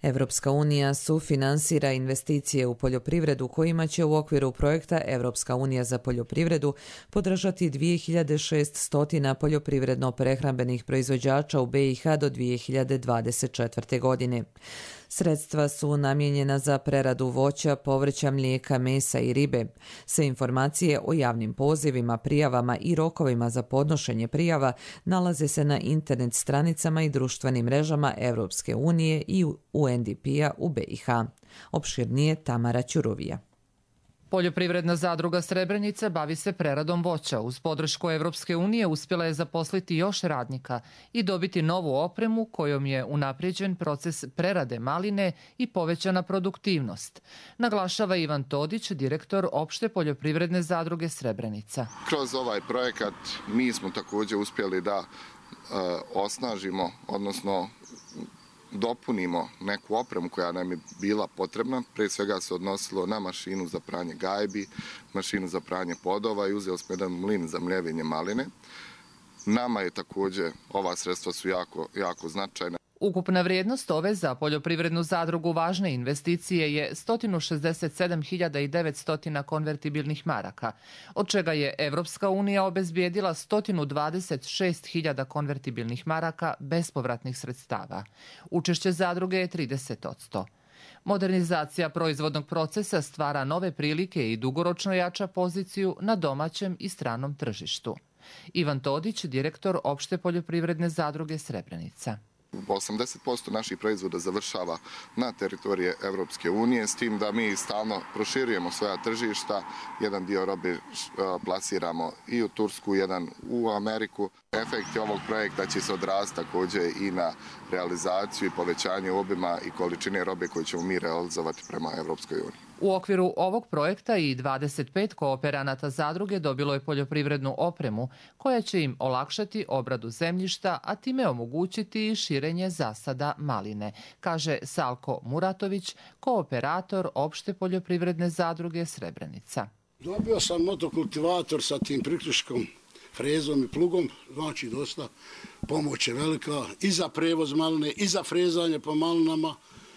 Evropska unija sufinansira investicije u poljoprivredu kojima će u okviru projekta Evropska unija za poljoprivredu podržati 2600 poljoprivredno-prehrambenih proizvođača u BiH do 2024. godine. Sredstva su namijenjena za preradu voća, povrća, mlijeka, mesa i ribe. Sve informacije o javnim pozivima, prijavama i rokovima za podnošenje prijava nalaze se na internet stranicama i društvenim mrežama Evropske unije i UNDP-a u BiH. Opširnije Tamara Ćuruvija. Poljoprivredna zadruga Srebrenica bavi se preradom voća. Uz podršku Evropske unije uspjela je zaposliti još radnika i dobiti novu opremu kojom je unaprijeđen proces prerade maline i povećana produktivnost. Naglašava Ivan Todić, direktor opšte poljoprivredne zadruge Srebrenica. Kroz ovaj projekat mi smo također uspjeli da osnažimo, odnosno dopunimo neku opremu koja nam je bila potrebna. Prije svega se odnosilo na mašinu za pranje gajbi, mašinu za pranje podova i uzeli smo jedan mlin za mljevenje maline. Nama je također, ova sredstva su jako značajna. Ukupna vrijednost ove za poljoprivrednu zadrugu važne investicije je 167.900 konvertibilnih maraka, od čega je Evropska unija obezbijedila 126.000 konvertibilnih maraka bespovratnih sredstava. Učešće zadruge je 30%. Modernizacija proizvodnog procesa stvara nove prilike i dugoročno jača poziciju na domaćem i stranom tržištu. Ivan Todić, direktor opšte poljoprivredne zadruge Srebrenica. 80% naših proizvoda završava na teritorije Evropske unije, s tim da mi stalno proširujemo svoja tržišta. Jedan dio robe plasiramo i u Tursku, jedan u Ameriku. Efekti ovog projekta će se odraziti također i na realizaciju i povećanje obima i količine robe koju ćemo mi realizovati prema Evropskoj uniji. U okviru ovog projekta i 25 kooperanata zadruge dobilo je poljoprivrednu opremu koja će im olakšati obradu zemljišta, a time omogućiti i širenje zasada maline, kaže Salko Muratović, kooperator opšte poljoprivredne zadruge Srebrenica. Dobio sam motokultivator sa tim priključkom, frezom i plugom, znači dosta pomoć je velika i za prevoz maline, i za frezanje po malinama,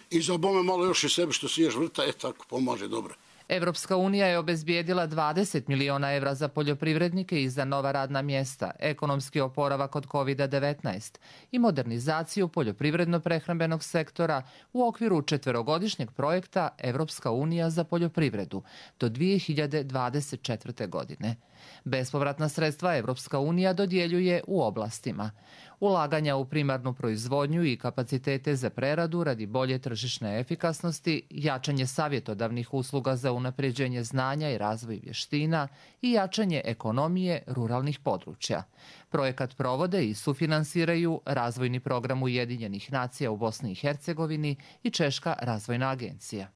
i za bome malo još i sebi što siješ vrta, tako pomaže dobro. Evropska unija je obezbijedila 20 miliona evra za poljoprivrednike i za nova radna mjesta, ekonomski oporavak od COVID-19 i modernizaciju poljoprivredno-prehrambenog sektora u okviru 4-godišnjeg projekta Evropska unija za poljoprivredu do 2024. godine. Bespovratna sredstva Evropska unija dodjeljuje u oblastima ulaganja u primarnu proizvodnju i kapacitete za preradu radi bolje tržišne efikasnosti, jačanje savjetodavnih usluga za unapređenje znanja i razvoj vještina i jačanje ekonomije ruralnih područja. Projekat provode i sufinansiraju Razvojni program Ujedinjenih nacija u Bosni i Hercegovini i Češka razvojna agencija.